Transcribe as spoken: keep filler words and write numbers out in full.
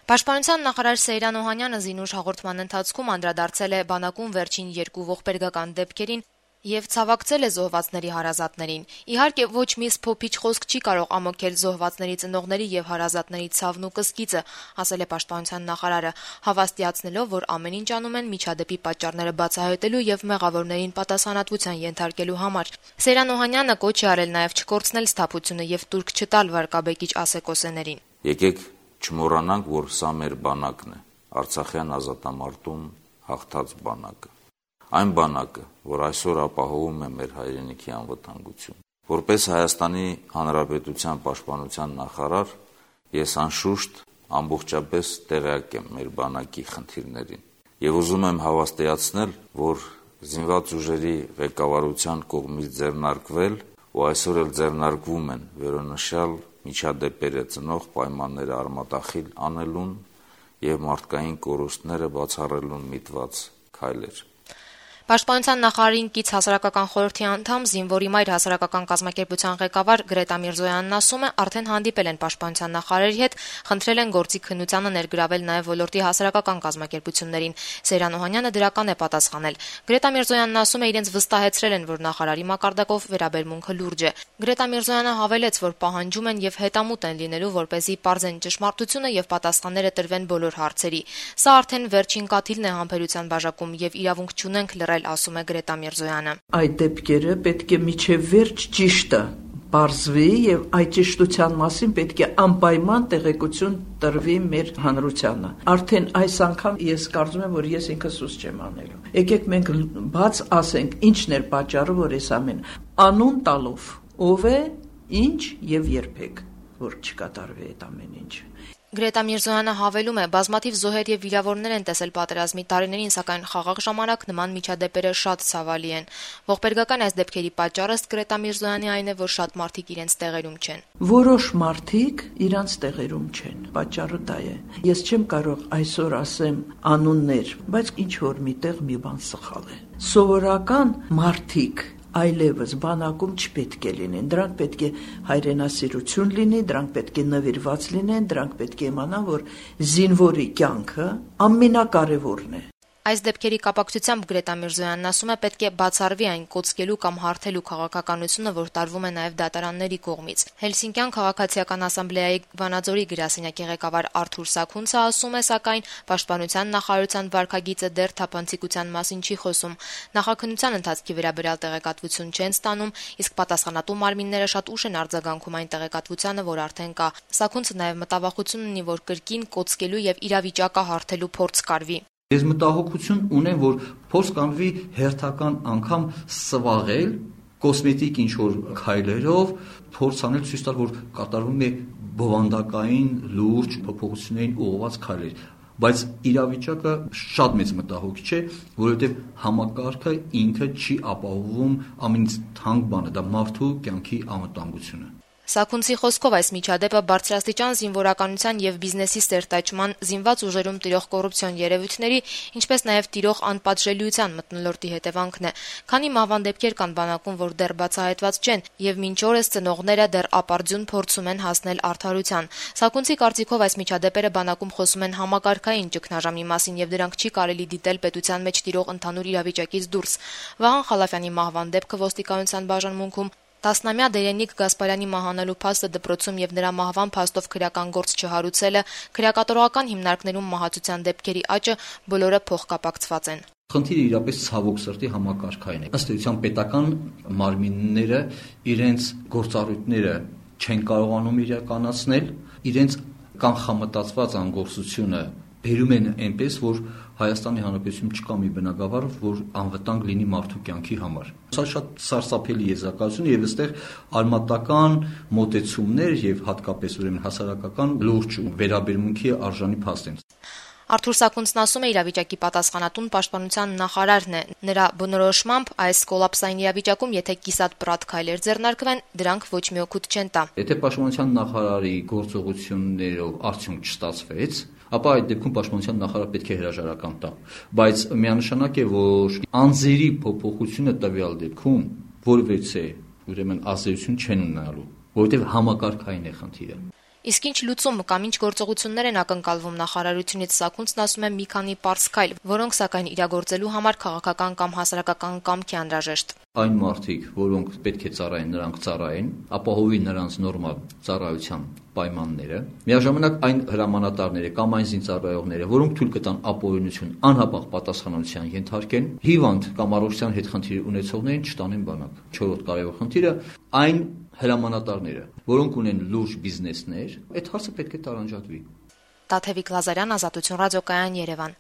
Պաշտպանության նախարար Սեյրան Օհանյանը զինուշ հաղորդման ընթացքում անդրադարձել է բանակում վերջին երկու ողբերգական դեպքերին եւ ցավակցել է զոհվածների հարազատներին։ Իհարկե, ոչ մի սփոփիչ խոսք չի կարող ամոթել զոհվածների ծնողների եւ հարազատների ցավն ու կսկիծը, ասել է պաշտպանության նախարարը, հավաստիացնելով, որ ամեն ինչ անում են միջադեպի պատճառները բացահայտելու եւ մեղավորներին պատասխանատվության ենթարկելու համար։ Սեյրան Օհանյանը կոչ է արել նաեւ չկորցնել սթափությունը եւ տուրք չտալ վարկաբեկիչ ասեկոսեներին։ Եկեք չմոռանանք, որ սա մեր բանակն է, Արցախյան ազատամարտում հաղթած բանակը։ Այն բանակը, որ այսօր ապահովում է մեր հայրենիքի անվտանգություն։ Որպես Հայաստանի Հանրապետության պաշտպանության նախարար, ես անշուշտ ամբողջապես տեղյակ եմ մեր բանակի խնդիրներին եւ ուզում եմ հավաստիացնել, որ զինված ուժերի ղեկավարության կողմից ձեռնարկվել ու այսօր էլ ձեռնարկվում են վերոնշյալ միջադեպերը ծնող պայմանները արմատախիլ անելուն եւ մարդկային կորուստները բացառելուն միտված քայլեր։ Պաշտպանության նախարարին կից հասարակական խորհրդի անդամ զինվորի մայր հասարակական կազմակերպության ղեկավար Գրետա Միրզոյանն ասում է, արդեն հանդիպել են պաշտպանության նախարարի հետ, խնդրել են գործի քննությանը ներգրավել նաև ոլորտի հասարակական կազմակերպություններին։ Սեյրան Օհանյանը դրական է պատասխանել։ Գրետա Միրզոյանն ասում է, իրենց վստահեցրել են, որ նախարարի մակարդակով վերաբերմունքը լուրջ է։ Գրետա Միրզոյանը հավելեց, որ պահանջում են եւ հետամուտ են լինելու, որպեսզի պարզեն ճշմարտությունը եւ պատասխանները տրվեն բոլոր հարցերի։ Սա արդեն վերջին կաթիլն է համբերության բաժակում եւ իրավունք չունենք լռել, ասում է Գրետա Միրզոյանը։ Այդ դեպքերը պետք է միջև վերջ ճիշտը բարձվի եւ այդ ճշտության մասին պետք է անպայման տեղեկություն տրվի մեր հանրությանը։ Արդեն այս անգամ ես կարծում եմ, որ ես ինքս սուս չեմ անելու։ Եկեք մենք բաց ասենք, ինչն էր պատճառը, որ այս ամեն անուն տալով ով է, ինչ եւ երբեք որ չկատարվի այդ ամեն ինչ։ Գրետա Միրզոյանը հավելում է, բազմաթիվ զոհեր եւ վիրավորներ են տեսել պատերազմի տարիներին, սակայն խաղաղ ժամանակ նման միջադեպերը շատ ցավալի են։ Ողբերգական այս դեպքերի պատճառը Գրետա Միրզոյանի այն է, որ շատ մարդիկ իրենց տեղերում չեն։ Որոշ մարդիկ իրենց տեղերում չեն, պատճառը դա է։ Ես չեմ կարող այսօր ասեմ անուններ, բայց ինչ որ միտեղ մի բան սխալ է։ Սովորական մարդիկ այլևս բանակում չպետք է լինեն, դրանք պետք է հայրենասիրություն լինի, դրանք պետք է նվիրված լինեն, դրանք պետք է իմանան, որ զինվորի կյանքը ամենակարևորն է։ Այս դեպքերի կապակցությամբ Գրետա Միրզոյանն ասում է, պետք է բացառվի այն կոծկելու կամ հարթելու քաղաքականությունը, որ տարվում է նաև դատարանների կողմից։ Հելսինկյան քաղաքացիական ասամբլեայի Վանաձորի գրասենյակի ղեկավար Արթուր Սաքունցը ասում է, սակայն պաշտպանության նախարարության վարքագիծը դեռ թափանցիկության մասին չի խոսում։ Նախաքննության ընթացքի վերաբերյալ տեղեկատվություն չեն ստանում, իսկ պատասխանատու մարմինները շատ ուշ են արձագանքում այն տեղեկատվությանը, որ արդեն կա։ Սաքունցը նաև մտավախություն ունի, որ կրկին կոծկելու եւ իրավիճակը հարթելու փորձ կարվի։ Ես մտահոգություն ունեմ, որ փորձ կանվի հերթական անգամ սվաղել կոսմետիկ ինչ-որ քայլերով, փորձ անել ցույց տալ, որ կատարվում է բովանդակային լուրջ փոփոխություններին ուղղված քայլեր, բայց իրավիճակը շատ մեծ մտահոգիչ է, որովհետև համակարգը ինքը չի ապահովում ամենից թանկ բանը, դա մարդու կյանքի անվտանգությունը։ Սաքունցի խոսքով այս միջադեպը բարձրաստիճան զինվորականության եւ բիզնեսի սերտաճման, զինված ուժերում տիրող կոռուպցիոն երևույթների, ինչպես նաեւ տիրող անպատժելիության մթնոլորտի հետևանքն է։ Քանի մահվան դեպքեր կան բանակում, որ դեռ բացահայտված չեն, եւ մինչ օրս ծնողները դեռ ապարդյուն փորձում են հասնել արդարության։ Սաքունցի կարծիքով այս միջադեպերը բանակում խոսում են համակարգային ճգնաժամի մասին եւ դրանք չի կարելի դիտել պետության մեջ տիրող ընդհանուր իրավիճակից դուրս։ Վահան Խալափյանի մահվան դեպքը ոստիկանության բաժանմունքում, տասնամյա Դերենիկ Գասպարյանի մահանալու փաստը դպրոցում եւ նրա մահվան փաստով քրեական գործ չհարուցելը, քրեակատորական հիմնարկներում մահացության դեպքերի աճը բոլորը փոխկապակցված են։ Խնդիրը իրապես ցավոք սրտի համակարգային է։ Ըստ էության պետական մարմինները իրենց գործառույթները չեն կարողանում իրականացնել, իրենց կանխամտածված անգործությունը բերում են այնպես, որ Հայաստանի Հանրապետությունում չկա մի բնակավար, որ անվտանգ լինի մարդու կյանքի համար։ Սա շատ սարսափելի եզրակացություն եւ այստեղ արմատական մոտեցումներ եւ հատկապես ուրեմն հասարակական լուրջ վերաբերմունքի արժանի փաստ են։ Արթուր Սաքունցն ասում է, իրավիճակի պատասխանատուն պաշտպանության նախարարն է։ Նրա բնորոշմամբ այս կոլապսային իրավիճակում, եթե կիսատ պրատ քայլեր ձեռնարկվեն, դրանք ոչ մի օգուտ չեն տա։ Եթե պաշտպանության նախարարի գործողություններով արդյունք չստացվեց, ապա այդ դեպքում պաշտպանության նախարարը պետք է հրաժարական տա։ Բայց միանշանակ է, որ անձերի փոփոխությունը տվյալ դեպքում որևէ ուրեմն ազդեցություն չեն ունենալու, որովհետև համակարգային է խնդիրը։ Իսկ ինչ լուծում կամ ինչ գործողություններ են ակնկալվում նախարարությունից, Սաքունցն ասում է մի քանի պարզ քայլ, որոնք սակայն իրագործելու համար քաղաքական կամ հասարակական կամք է անհրաժեշտ։ Այն մարդիկ, որոնք պետք է ծառայեն, նրանք ծառայեն, ապահովի նրանց նորմալ ծառայության պայմանները, միաժամանակ այն հրամանատարները կամ այն զինծառայողները, որոնք թույլ կտան ապօրինություն անհապաղ պատասխանատվության ենթարկեն, հիվանդ կամ առողջության հետ խնդիր ունեցողներին չտանեն բանակ։ Չորրորդ կարևոր խնդիրը այն հրամանատարները, որոնք ունեն լուրջ բիզնեսներ, այդ հարցը պետք է տարանջատվի։ Տաթևիկ Լազարյան, Ազատություն ռադիոկայան, Երևան։